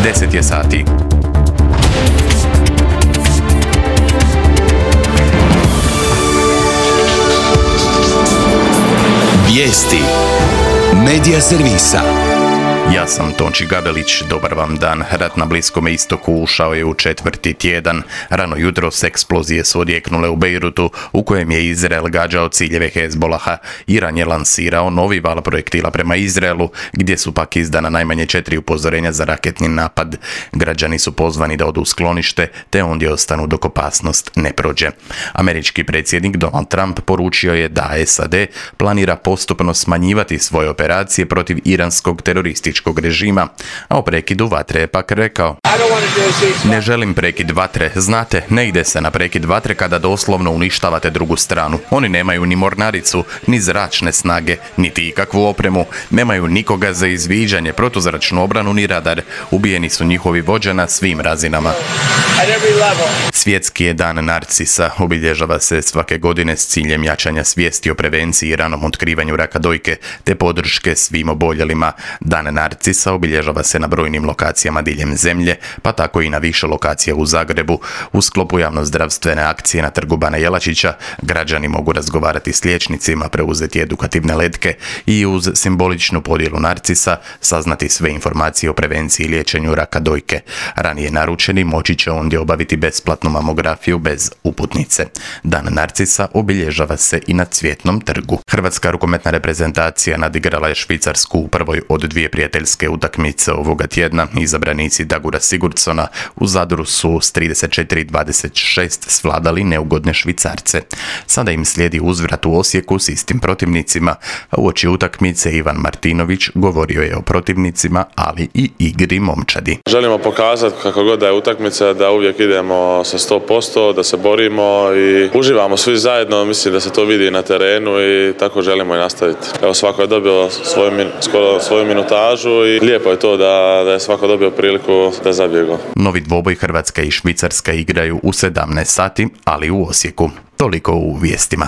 10 je sati. Vijesti Medija servisa. Ja sam Tonči Gabelić, dobar vam dan. Rat na Bliskom istoku ušao je u četvrti tjedan. Rano jutros eksplozije su odjeknule u Bejrutu, u kojem je Izrael gađao ciljeve Hezbolaha. Iran je lansirao novi val projektila prema Izraelu, gdje su pak izdana najmanje 4 upozorenja za raketni napad. Građani su pozvani da odu u sklonište, te ondje ostanu dok opasnost ne prođe. Američki predsjednik Donald Trump poručio je da SAD planira postupno smanjivati svoje operacije protiv iranskog terorističkog režima, a o prekidu vatre je pak rekao: ne želim prekid vatre, znate, ne ide se na prekid vatre kada doslovno uništavate drugu stranu. Oni nemaju ni mornaricu, ni zračne snage, niti ikakvu opremu, nemaju nikoga za izviđanje, protuzračnu obranu ni radar. Ubijeni su njihovi vođa na svim razinama. Svjetski je dan narcisa, obilježava se svake godine s ciljem jačanja svijesti o prevenciji i ranom otkrivanju raka dojke, te podrške svim oboljelima. Dan narcisa obilježava se na brojnim lokacijama diljem zemlje, pa tako i na više lokacija u Zagrebu. U sklopu javnozdravstvene akcije na Trgu Bana Jelačića građani mogu razgovarati s liječnicima, preuzeti edukativne letke i uz simboličnu podjelu narcisa saznati sve informacije o prevenciji i liječenju raka dojke. Ranije naručeni moći će ondje obaviti besplatnu mamografiju bez uputnice. Dan narcisa obilježava se i na Cvjetnom trgu. Hrvatska rukometna reprezentacija nadigrala je Švicarsku u prvoj od dvije prijateljske utakmice ovoga tjedna. Izabranici Dagura Sigurdsona u Zadru su s 34-26 svladali neugodne Švicarce. Sada im slijedi uzvrat u Osijeku s istim protivnicima, a uoči utakmice Ivan Martinović govorio je o protivnicima, ali i igri momčadi. Želimo pokazati kako god da je utakmica, da uvijek idemo sa 100%, da se borimo i uživamo svi zajedno. Mislim da se to vidi na terenu i tako želimo i nastaviti. Evo, svako je dobio svoju minutažu i lijepo je to da je svako dobio priliku da zabije gol. Novi dvoboj Hrvatska i Švicarska igraju u 17 sati, ali u Osijeku. Toliko u vijestima.